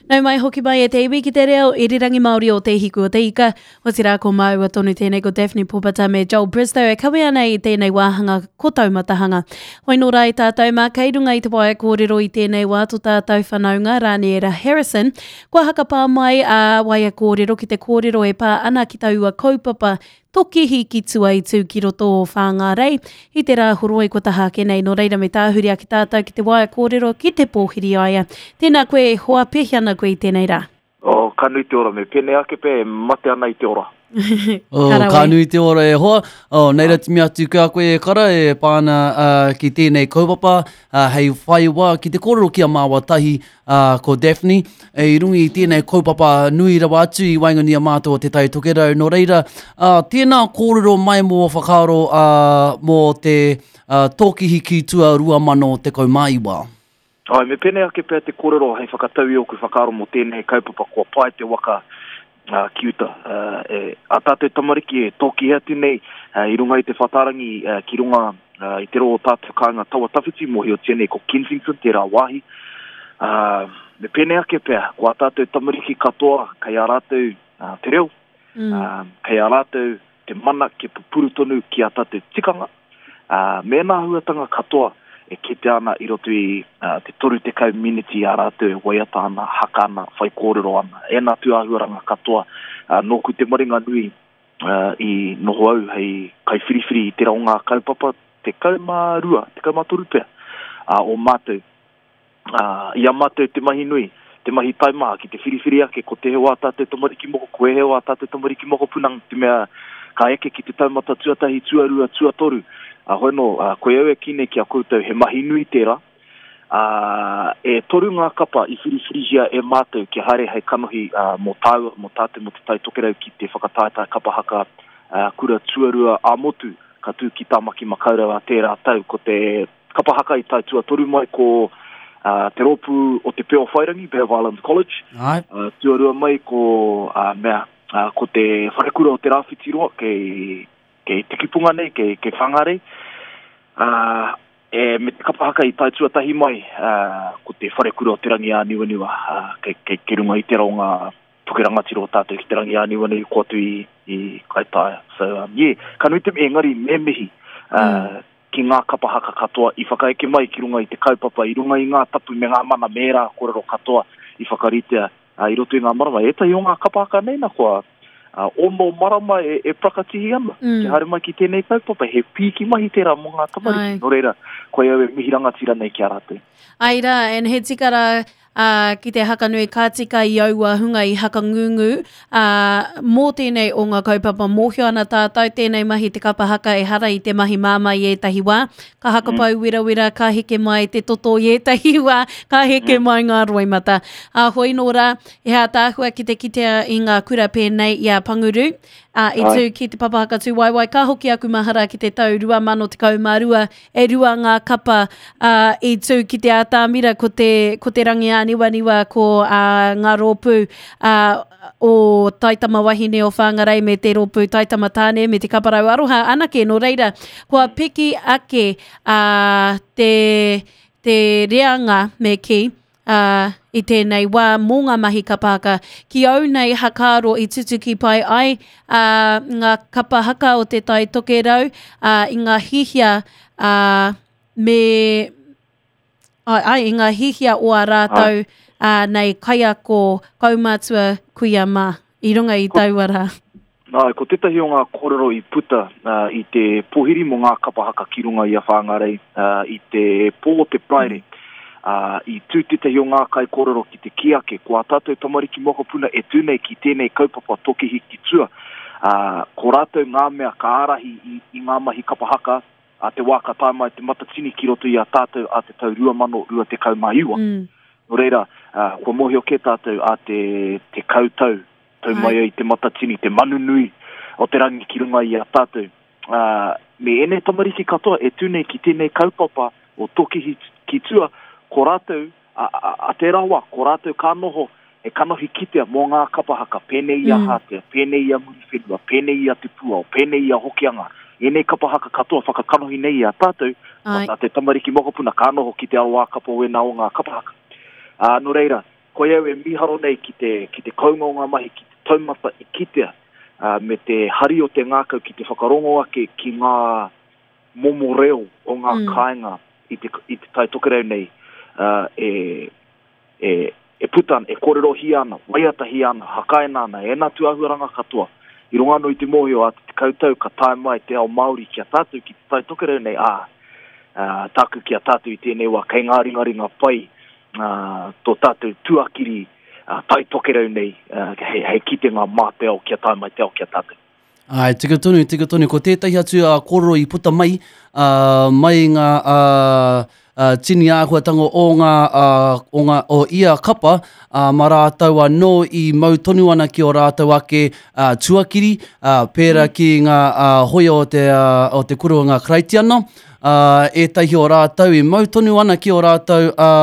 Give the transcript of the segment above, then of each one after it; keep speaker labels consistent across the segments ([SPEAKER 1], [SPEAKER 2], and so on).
[SPEAKER 1] Nau mai hoki mai e te iwi ki te reo irirangi Māori o Te Hiku o Te Ika. Otirā ko māua tonu tēnei ko Daphne Popata me Joel Bristow e kawe ana i tēnei wāhanga ko Taumatahanga. Hoi nō rā i tātou mā kei runga i te waea kōrero i tēnei wā to tātou whanaunga Raniera Harrison. Kua hakapā mai a waea kōrero ki te kōrero e pā ana ki taua kaupapa Tokihi ki tua i tū ki roto o Whāngārei i te rā horoi kua taha ake nei. Nō reira me tāhuri ake tātou ki te waea kōrero ki te pōhiri a ia. Tēnā koe e hoa, pēhea ana koe i tēnei rā?
[SPEAKER 2] Oh, ka nui te ora, me pēnei ake pea e mate ana i te ora.
[SPEAKER 3] Oh, ka, ka nui te ora e hoa. Oh, nei ra timi atu ki a koe e kara e pā ana uh, ki tēnei kaupapa uh, hei whai wā ki te kōrero ki a māua tahi uh, ko Daphne e i runga i tēnei kaupapa nui rawa atu i waenganui a mātou o Te Tai Tokerau. Nō reira, uh, tēnā kōrero mai mō whakaaro uh, mō te uh, Tōkihi ki Tua 2019.
[SPEAKER 2] Āe, me pēnei ake pea te kōrero hei whakatau i ōku whakaaro mō tēnei kaupapa kua pae te waka ki uta. E, ā tātou tamariki e tōkihi atu nei i runga i te whatarangi ki runga i te rō o tātou kāinga tawa tawhiti, mōhiotia nei ko Kensington tērā wāhi. Me pēnei ake pea, ko ā tātou tamariki katoa kei a rātou te reo, mm. kei a rātou te mana kia pupuru tonu ki ā tātou tikanga, ā, me ēnā āhuatanga katoa e kitea ana i roto i te 30 miniti i a rātou e waiata ana, haka ana, whaikōrero ana. Ēnā tūāhuaranga katoa, nōku te maringa nui i noho au hei kaiwhiriwhiri i tērā o ngā kaupapa 12, 13 pea, o mātou. Ā, i a mātou te mahi nui, te mahi taimaha ki te whiriwhiri ake ko tēhea o ā tātou tamariki moko, ko ēhea o ā tātou tamariki mokopuna te mea ka eke ki te taumata tuatahi, tuarua, tuatoru. Ā, hoi anō, ā, koe au e kī nei ki a koutou he mahi nui tērā, ā, e toru ngā kapa i whiriwhirihia e mātou kia haere hei kanohi, ā, mō tāua, mō tātou, mō Te Tai Tokerau ki te whakataetae kapa haka, ā, kura tuarua ā-motu ka tū ki Tāmaki Makaurau ā tērā tau. Ko te Kapa haka i tae tuatoru mai ko te rōpū o Te Peowhairangi, Bay of Islands College.
[SPEAKER 3] Ai.
[SPEAKER 2] Tuarua mai ko mea, ko te Wharekura o Te Rāwhitiroa kei, kei Tikipunga nei, kei, kei Whangarei. Uh, e, me te kapa haka i tae tuatahi mai, uh, ko te Wharekura o Te Rangi-ā-Niwaniwa, uh, kei, kei, kei runga i te raonga puke rangatira o tātou ki Te Rangi-ā-Niwaniwa i ko atu i, i Kaitaia. So, um, yeah, ka nui te, engari me mihi, uh, mm. ki ngā kapa haka katoa i whakaeke mai ki runga i te kaupapa, i runga i ngā tapu me ngā mana me ērā kōrero katoa i whakaritea i roto i ngā marama. Ētahi o ngā kapa haka nei na kua ono marama e, e prakatihi ana mm. kia haere mai ki tēnei kaupapa. He pīki mahi tērā mō ngā tamariki. Nō reira, koe au e mihi rangatira nei ki a rātou.
[SPEAKER 1] Ai rā, and he tika rā, ā, ki te hakanui ka tika i aua hunga i hakangungu, ā, mō tēnei o ngā kaupapa mōhio ana tātou tēnei mahi te kapa haka ehara i te mahi māmā i ētahi wā, ka hakapau werawera, ka heke mai te toto i ētahi wā, ka heke mai ngā roimata. Ā, hoi nō rā, he ātaahua ki te kitea i ngā kura pēnei i a Panguru, ā, i tū ki te Papa Hakatūwaewae, ka hoki aku mahara ki te tau 2012, E rua ngā kapa ā, i tū ki te ātamira, ko te, ko te Rangiāniwaniwa, ko ā, ngā rōpū ā, o Taitama Wahine o Whangarei me te rōpū Taitama Tāne me te Kaparau Aroha anake. Nō reira, kua piki ake ā, te, te reanga, me kī, ā, i tēnei wā mō ngā mahi kapa haka. Ki au nei hakaaro i tutuki pai ai ā, ngā kapa haka o Te Tai Tokerau ā, i ngā hihia ā, me ai, ai, i ngā hihia o ā rātou ā, nei kaiako, kaumātua, kuia mā i runga i taua rā.
[SPEAKER 2] Āe, ko tētahi o ngā kōrero i puta i te pōhiri mō ngā kapa haka ki runga i a Whāngarei i te pō o te Paraire, i tū tētahi o ngā kaikōrero ki te kī ake, ko ā tātou tamariki mokopuna e tū nei ki tēnei kaupapa Tokihi ki Tua, ko rātou ngā mea ka ārahi i ngā mahi kapa haka ā te wā ka tae mai te Matatini ki roto i a tātou ā te tau 2029. Nō reira, kua mōhio kē tātou ā te tekau tau Tau mai ai te matatini, te manu nui o te rangi ki runga i a tātou. Ā, me ēnei tamariki katoa e tū nei ki tēnei kaupapa o Tokihi ki tua, ko rātou, a, a, a tērā wā, ko rātou ka noho he kanohi kitea mō ngā kapa haka, pēnei i a mm. Hātea, pēnei i a Muriwhenua, pēnei i a Te Pūao, pēnei i a Hokianga. Ēnei kapa haka katoa whakakanohi nei i a tātou, ko tā te tamariki mokopuna ka noho ki te aroākapa o ēnā o ngā kapa haka. Ā, nō reira, Koia au e mīharo nei ki te, ki te kounga o ngā mahi, ki te taumata i kitea, ā, me te hari o te ngākau ki te whakarongo ake ki ngā momo reo o ngā mm. kāinga i te, i te Tai Tokerau nei, ā, e, e, e puta ana, e kōrerohia ana, waiatahia ana, hakaina ana, ēnā tūāhuaranga katoa. I runga anō i te mōhio ā te tekau tau ka tae mai te ao Māori ki a tātou, ki te Tai Tokerau nei, ā, ā, tāku ki a tātou i tēnei wā, kei ngā ringaringa pai ā, tō tātou tuakiri ā, Tai Tokerau nei, ā, hei, hei kitenga mā te ao kia tae mai te ao ki a tātou.
[SPEAKER 3] Āe, tika tonu, tika tonu. Ko tētahi atu ā, kōrero i puta mai, ā, mai ngā ā, ā, tini āhuatanga o ngā, ā, o ngā, o ia kapa, ā, mā rātou anō i mau tonu ana ki ō rātou ake ā, tuakiri, ā, pērā ki ngā ā, hoia o te, ā, o te kura o ngā Karaitiana, ā, ētahi o rātou i mau tonu ana ki ō rātou ā,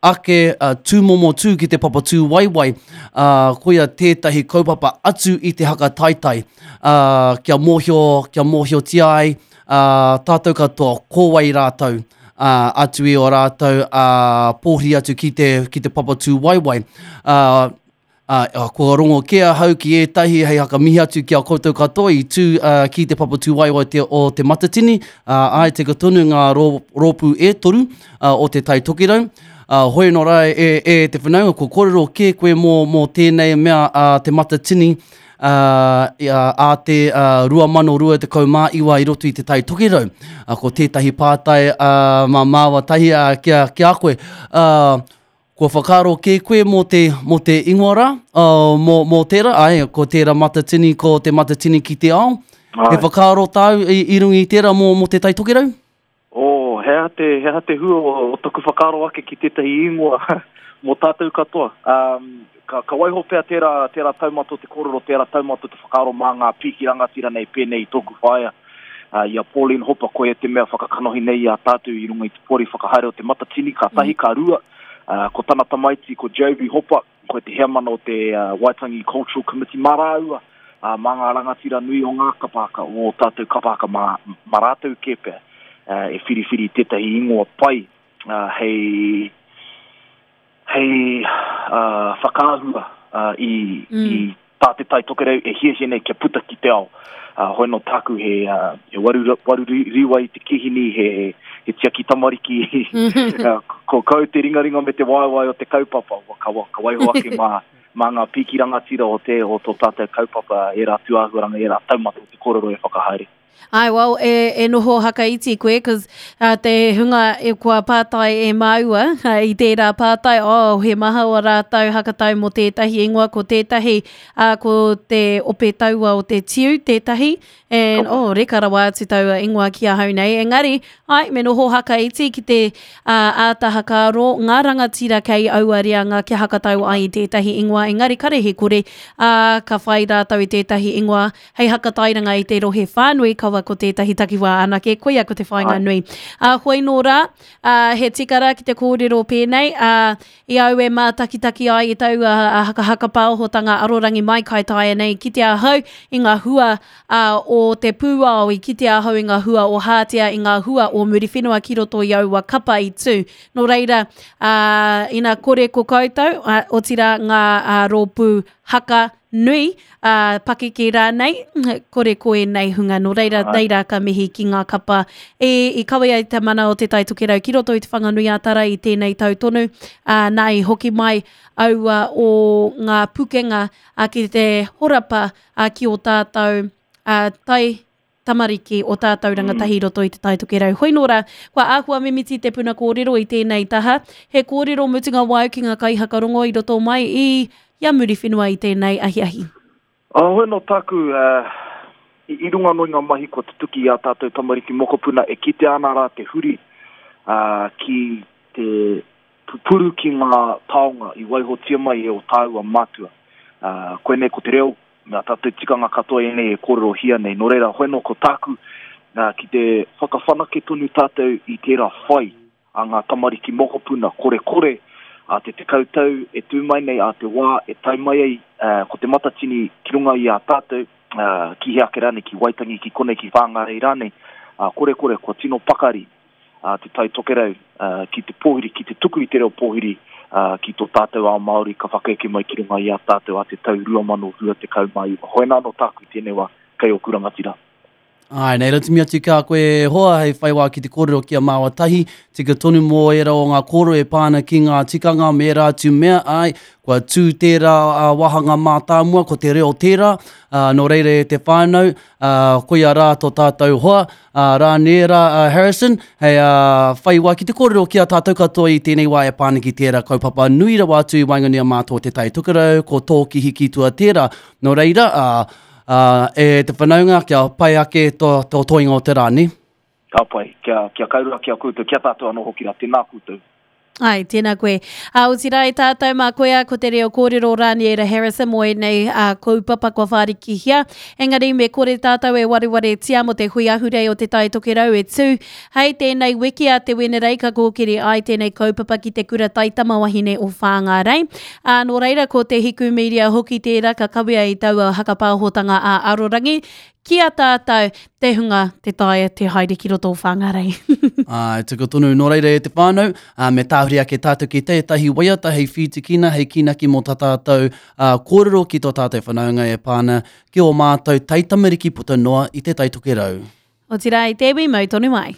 [SPEAKER 3] ake tūmomo tū ki te papa tūwaewae, ā, koia tētahi kaupapa atu i te haka taetae, ā, kia mōhio, kia mōhiotia ai, ā, tātou katoa ko wai rātou, ā, atu i ō rātou, ā, pōhiri atu ki te, ki te papa tūwaewae. Ā, Ā, kua rongo kē ahau ki ētahi hei hakamihi atu ki a koutou katoa i tū ki te papa tūwaewae te, o Te Matatini, ā, āe tika tonu ngā rō, rōpū e toru o Te Tai Tokerau. Ā, hoi anō rā e, e te whanaunga, kua kōrero kē koe mō, mō tēnei mea a Te Matatini, ā, ā te 2029 i roto i Te Tai Tokerau. Ā, ko tētahi pātai ā, mā māua tahi ā, ki a, ki a koe, ā, Kua whakaaro kē koe mō te, mō te ingoa rā, uh, mō, mō tērā, ai, ko tērā matatini, ko te matatini ki te ao. Ai. He whakaaro tāu i, i runga i tērā mō, mō te Tai Tokerau?
[SPEAKER 2] Oh, he aha te, he aha te hua o, o taku whakaaro ake ki tētahi ingoa mō tātou katoa. Um, ka, ka waiho pea tērā, tērā taumata o te kōrero, tērā taumata o te whakaaro mā ngā pīki rangatira nei pēnei i tōku whaea. I a Pauline Hopa, koia te mea whakakanohi nei i a tātou i runga i te poari whakahaere o Te Matatini, ka tahi, ka rua, ko tana tamaiti, ko Joby Hopa, koe te heamana o te Waitangi Cultural Committee, mā rāua, mā ngā rangatira nui o ngā kapa haka, o ō tātou kapa haka, mā, mā rātou kē pea e whiriwhiri tētahi ingoa pai hei, hei whakaahua i, i tā Te Tai Tokerau e hiahia nei kia puta ki te ao. Hoi nō tāku he, he waru, waru riwa i te kihini, he, he tiaki tamariki, ko kau te ringaringa me te waewae o te kaupapa, ka, ka waiho ake mā, mā ngā pīki rangatira o te, o tō tātou kaupapa, ērā tūāhuaranga, ērā taumata o te kōrero e whakahaere.
[SPEAKER 1] Ai, well, e, e noho hakaiti koe, cause uh, te hunga e kua pātai e māua uh, i tērā pātai, oh, he maha o rātou hakatau mō tētahi ingoa, ko tētahi, uh, ko te ope taua o te tiu tētahi, and, oh, reka rawa atu taua ingoa ki ahau nei. Engari, ai, me noho hakaiti ki te uh, āta hakaaro, ngā rangatira kei aua reanga kia hakatau ai i tētahi ingoa, engari kare he kore, uh, ka whai rātou i tētahi ingoa, Hei hakatairanga i te rohe whānui, kaua ko tētahi takiwā anake, koia ko te whāinga nui. Ā, hoi nō rā, ā, he tika rā ki te kōrero pēnei, ā, i au e mātakitaki ai i taua hakahaka pāohotanga arorangi mai kai taea nei, kite ahau i ngā hua ā, o te pūao, i kite ahau i ngā hua o Hātea, i ngā hua o Muriwhenua ki roto i aua kapa i tū. Nō reira, ā, ina kore ko koutou, ā, otirā ngā ā, rōpū haka nui, ā, pakeke rānei, kore ko ēnei hunga. Nō reira, nei rā ka mihi ki ngā kapa e, i kawe ai te mana o Te Tai Tokerau ki roto i Te Whanganui-ā-Tara i tēnei tau tonu, ā, nā i hoki mai aua o ngā pukenga ā, ki te horapa ā, ki ō tātou ā, tai tamariki o tātou rangatahi i roto i Te Tai Tokerau. Hoi nō rā, kua āhua mimiti te puna kōrero i tēnei taha. He kōrero mutunga wāu ki ngā kaihakarongo i roto mai i i a Muriwhenua i tēnei ahiahi.
[SPEAKER 2] Hoi nō tāku, i runga anō i ngā mahi kua tutuki i ā tātou tamariki mokopuna e kitea ana rā te huri ki te pupuru ki ngā taonga i waihotia mai e ō tāua mātua. Koinei ko te reo, me ā tātou tikanga katoa ēnei e kōrerohia nei. Nō reira, hoi nō ko tāku, ki te whakawhanake tonu tātou i tērā whai a ngā tamariki mokopuna korekore a te tekau tau e tū mai nei, a te wā e tae mai ai ko Te Matatini ki runga i a tātou, ki hea ake rānei, ki Waitangi, ki konei, ki Whāngārei rānei, korekore kua tino pakari a Te Tai Tokerau ki te pōhiri, ki te tuku i te reo pōhiri ki tō tātou ao Māori ka whakaeke mai ki runga i a tātou a te tau 2029. Hoena anō tāku i tēnei wā kei ōku rangatira.
[SPEAKER 3] Āe, nei ratumi atu ki a koe e hoa hei whai wā ki te kōrero ki a māua tahi, tika tonu mō ērā o ngā kōrero e pā ana ki ngā tikanga me ērā atu mea, āe, kua tū tērā wāhanga mātāmua, ko te reo tērā, ā, nō reira e te whānau, ā, koia rā tō tātou hoa, ā, Rāniera Harrison, hei ā, whai wā ki te kōrero ki a tātou katoa i tēnei wā e pā ana ki tērā kaupapa nui rawa atu i waenganui a mātou o Te Tai Tokerau, ko Tōki Hikitua tērā. Nō reira, ā, Ā, e te whanaunga, kia pai ake tō, tō toenga o te rā, nē?
[SPEAKER 2] Ka pai. Kia, kia kaurua ki a koutou, ki a tātou anō hoki rā. Tēnā koutou.
[SPEAKER 1] Ai, tēnā koe. Ā, otirā e tātou mā koia ko te reo kōrero Raniera Harrison mō ēnei ā, kaupapa kua whārikihia. Engari me kore tātou e warewaretia mō te hui ahurei o Te Tai Tokerau e tū. Hei tēnei wiki a te Wenerei ka kōkiri ai tēnei kaupapa ki te kura taitamawahine o Whāngārei. Ā, nō reira ko Te Hiku Media hoki tērā ka kawea i taua hakapāhotanga ā-arorangi ki a tātou te hunga te taea te haere ki roto o Whāngārei.
[SPEAKER 3] Āe, tika tonu. Nō reira e te whānau, ā, me tāhuri ake tātou ki tētahi waiata hei whītikina, hei kīnaki mō tā tātou ā, kōrero ki tō tātou whanaunga e pā ana ki ō mātou taitamariki puta noa i Te Tai Tokerau.
[SPEAKER 1] Otirā i te iwi mau tonu ai.